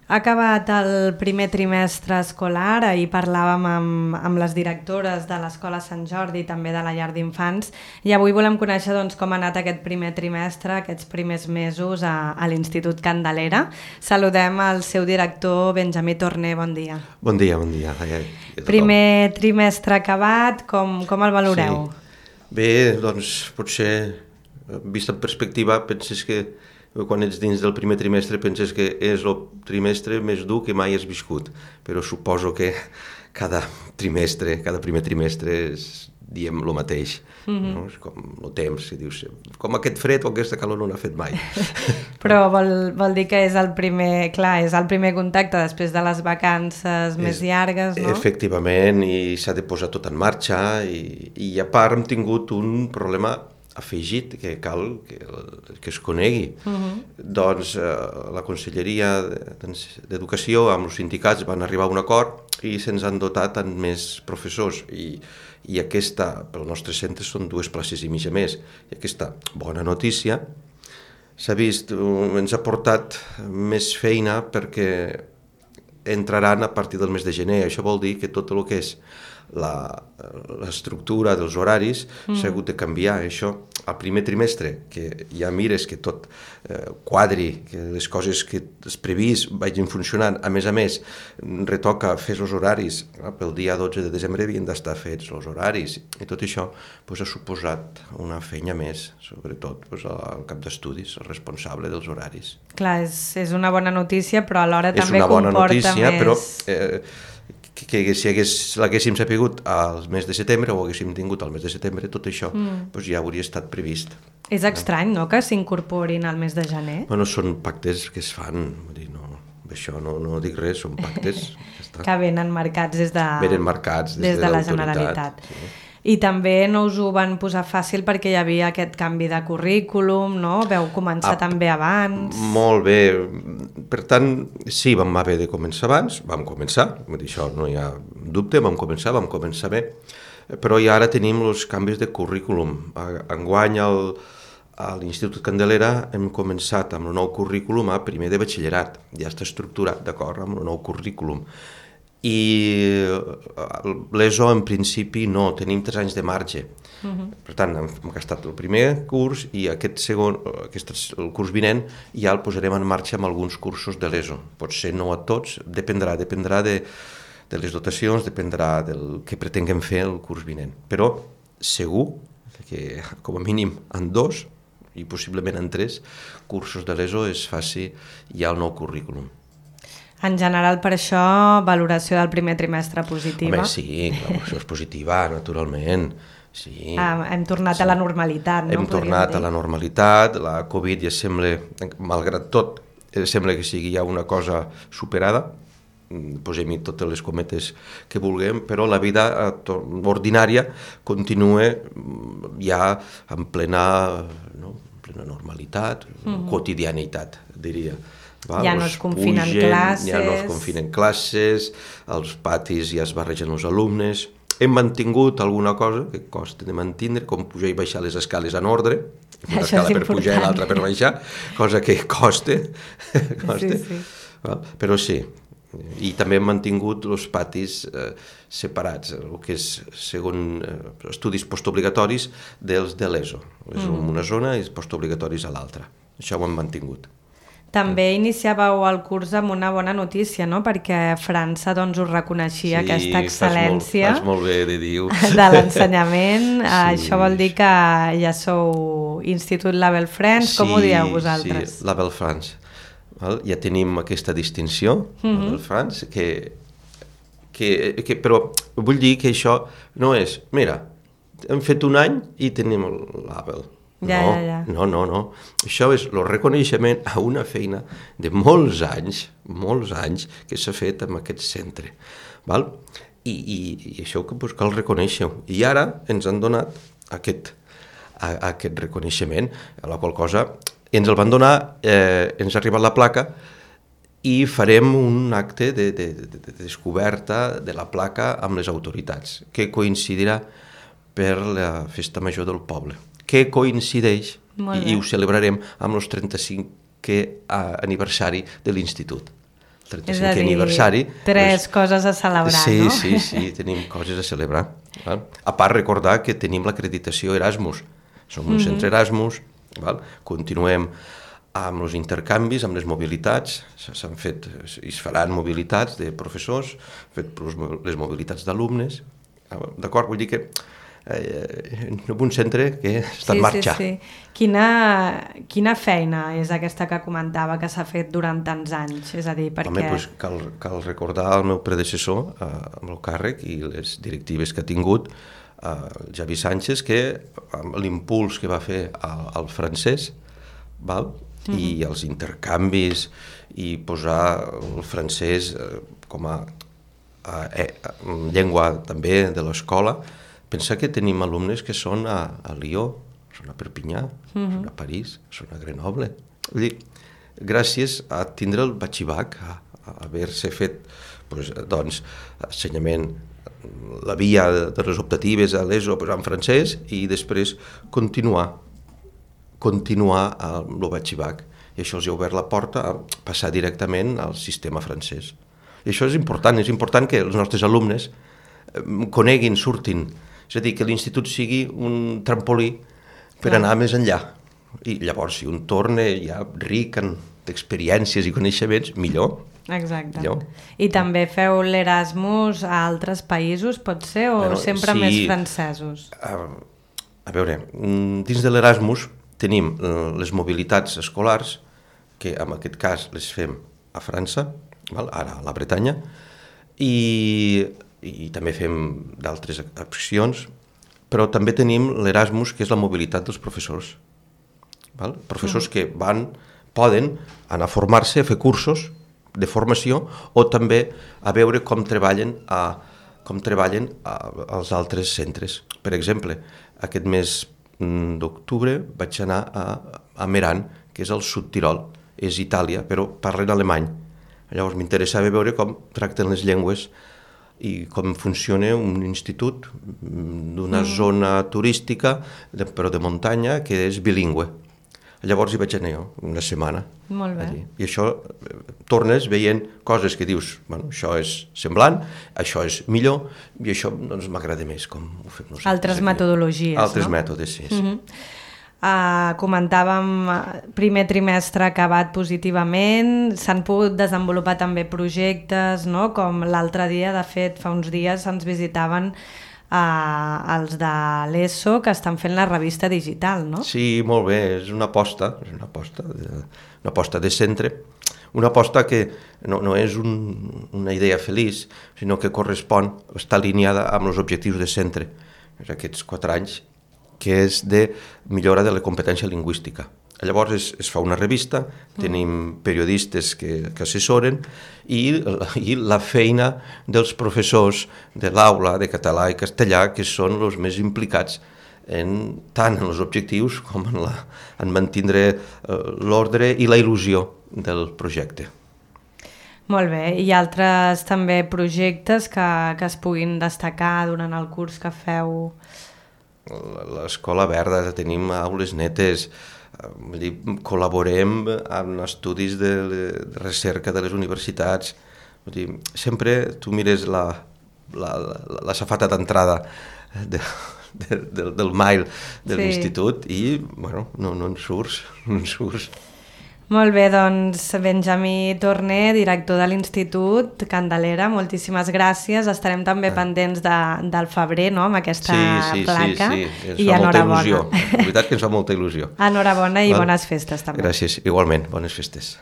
Ha acabat el primer trimestre escolar, ahir parlàvem amb les directores de l'Escola Sant Jordi i també de la llar d'infants i avui volem conèixer com ha anat aquest primer trimestre, aquests primers mesos a l'Institut Candelera. Saludem al seu director, Benjamí Torner, bon dia. Bon dia. Primer trimestre acabat, com el valoreu? Sí. Bé, doncs potser, vist en perspectiva, penses que quan ets dins del primer trimestre penses que és el trimestre més dur que mai has viscut, però suposo que cada primer trimestre és, diem, el mateix. No? És com el temps, que dius, com aquest fred o aquesta calor no n'ha fet mai. Però vol dir que és el primer contacte després de les vacances més llargues, no? Efectivament, i s'ha de posar tot en marxa, i a part hem tingut un problema afegit que cal que es conegui. Doncs la Conselleria d'Educació amb els sindicats van arribar a un acord i se'ns han dotat amb més professors i aquesta, pel nostre centre, són 2 places i mitja més. I aquesta bona notícia s'ha vist, ens ha portat més feina perquè entraran a partir del mes de gener. Això vol dir que tot el que és l'estructura dels horaris s'ha hagut de canviar. Això, al primer trimestre, que ja mires que tot quadri, que les coses que has previst vagin funcionant, a més, retoca fer els horaris. Pel dia 12 de desembre havien d'estar fets els horaris, i tot això ha suposat una feina més, sobretot al cap d'estudis, el responsable dels horaris. Clar, és una bona notícia, però alhora també comporta més... És una bona notícia, però que si l'haguéssim sapigut al mes de setembre o haguéssim tingut al mes de setembre, tot això ja hauria estat previst. És estrany, no?, que s'incorporin al mes de gener? Bueno, són pactes que es fan, això no dic res, són pactes. Que venen marcats des de la Generalitat. Sí. I també no us ho van posar fàcil perquè hi havia aquest canvi de currículum, no? Veu començar també abans... Molt bé. Per tant, sí, vam haver de començar abans, vam començar, això no hi ha dubte, vam començar bé, però ja ara tenim els canvis de currículum. Enguany a l'Institut Candelera hem començat amb el nou currículum a primer de batxillerat, ja està estructurat, d'acord, amb el nou currículum. I l'ESO en principi no, tenim 3 anys de marge. Per tant, hem gastat el primer curs i el curs vinent ja el posarem en marxa amb alguns cursos de l'ESO. Potser no a tots, dependrà de les dotacions, dependrà del que pretenguem fer el curs vinent. Però segur que com a mínim en 2 i possiblement en 3 cursos de l'ESO es faci ja el nou currículum. En general, per això, valoració del primer trimestre positiva? Home, sí, la valoració és positiva, naturalment. Sí. Hem tornat a la normalitat, no? Hem tornat a la normalitat, la Covid ja sembla, malgrat tot, sembla que sigui ja una cosa superada, posem-hi totes les cometes que vulguem, però la vida ordinària continua ja en plena normalitat, quotidianitat, diria. Ja no es confinen classes. Ja no es confinen classes, als patis ja es barregen els alumnes. Hem mantingut alguna cosa que costa de mantindre, com pujar i baixar les escales en ordre, una escala per pujar i l'altra per baixar, cosa que costa. Sí. Però sí, i també hem mantingut els patis separats, el que és segons estudis postobligatoris dels de l'ESO. És una zona i postobligatoris a l'altra. Això ho hem mantingut. També iniciàveu el curs amb una bona notícia, no? Perquè França us reconeixia aquesta excel·lència fas molt bé de dir-ho. De l'ensenyament. Això vol dir que ja sou Institut Label France, com ho dieu vosaltres? Sí, Label France. Ja tenim aquesta distinció, Label France, però vull dir que això no és, mira, hem fet un any i tenim el Label. No. Això és el reconeixement a una feina de molts anys que s'ha fet en aquest centre. I això que cal reconèixer-ho. I ara ens han donat aquest reconeixement, a la qual cosa ens el van donar, ens ha arribat la placa i farem un acte de descoberta de la placa amb les autoritats, que coincidirà per la Festa Major del poble, que coincideix, i ho celebrarem amb el 35è aniversari de l'Institut. 35è aniversari. Tres coses a celebrar, sí, no? Sí, tenim coses a celebrar. Val? A part, recordar que tenim l'acreditació Erasmus. Som un centre Erasmus, val? Continuem amb els intercanvis, amb les mobilitats, s'han fet i es faran mobilitats de professors, fet les mobilitats d'alumnes, d'acord? Vull dir que un centre que està en marxa. Sí. Quina feina és aquesta que comentava que s'ha fet durant tants anys? És a dir, perquè... Home, doncs cal recordar el meu predecessor amb el càrrec i les directives que ha tingut, Javi Sánchez, que amb l'impuls que va fer al francès, val? I els intercanvis i posar el francès com a llengua també de l'escola. Pensa que tenim alumnes que són a Lió, són a Perpinyà, són a París, són a Grenoble. Vull dir, gràcies a tindre el batxibac, a haver-se fet doncs, ensenyament, la via de les optatives a l'ESO en francès i després continuar amb el batxibac. I això els ha obert la porta a passar directament al sistema francès. I això és important que els nostres alumnes coneguin, surtin. És a dir, que l'institut sigui un trampolí per anar més enllà. I llavors, si un torna ja ric d'experiències i coneixements, millor. Exacte. Millor. I també feu l'Erasmus a altres països, pot ser, o sempre més francesos? A veure, dins de l'Erasmus tenim les mobilitats escolars, que en aquest cas les fem a França, ara a la Bretanya, i també fem d'altres accions, però també tenim l'Erasmus, que és la mobilitat dels professors. Professors que poden anar a formar-se, a fer cursos de formació, o també a veure com treballen als altres centres. Per exemple, aquest mes d'octubre vaig anar a Meran, que és al Sud Tirol, és Itàlia, però parlen alemany. Llavors m'interessava veure com tracten les llengües i com funciona un institut d'una zona turística, però de muntanya, que és bilingüe. Llavors hi vaig anar jo, una setmana. Molt bé. Allí. I això, tornes veient coses que dius, bueno, això és semblant, això és millor, i això doncs, m'agrada més, com ho fem nosaltres. Altres metodologies, Altres mètodes, sí. Comentàvem primer trimestre acabat positivament, s'han pogut desenvolupar també projectes, no? Com l'altre dia, de fet, fa uns dies ens visitaven els de l'ESO que estan fent la revista digital, no? Sí, molt bé, és una aposta de centre, una aposta que no és una idea feliç, sinó que correspon, està alineada amb els objectius de centre, aquests 4 anys, que és de millora de la competència lingüística. Llavors es fa una revista, tenim periodistes que assessoren i la feina dels professors de l'aula de català i castellà, que són els més implicats tant en els objectius com en mantindre l'ordre i la il·lusió del projecte. Molt bé, i altres també projectes que es puguin destacar durant el curs que feu? L'escola verda, tenim aules netes, col·laborem en estudis de recerca de les universitats. Sempre tu mires la safata d'entrada del mail de l'institut i no en surts. Molt bé, doncs Benjamí Torné, director de l'Institut Candelera, moltíssimes gràcies. Estarem també pendents del febrer, no?, amb aquesta placa. Sí, ens fa molta il·lusió. La veritat que ens fa molta il·lusió. Enhorabona i bones festes també. Gràcies, igualment, bones festes.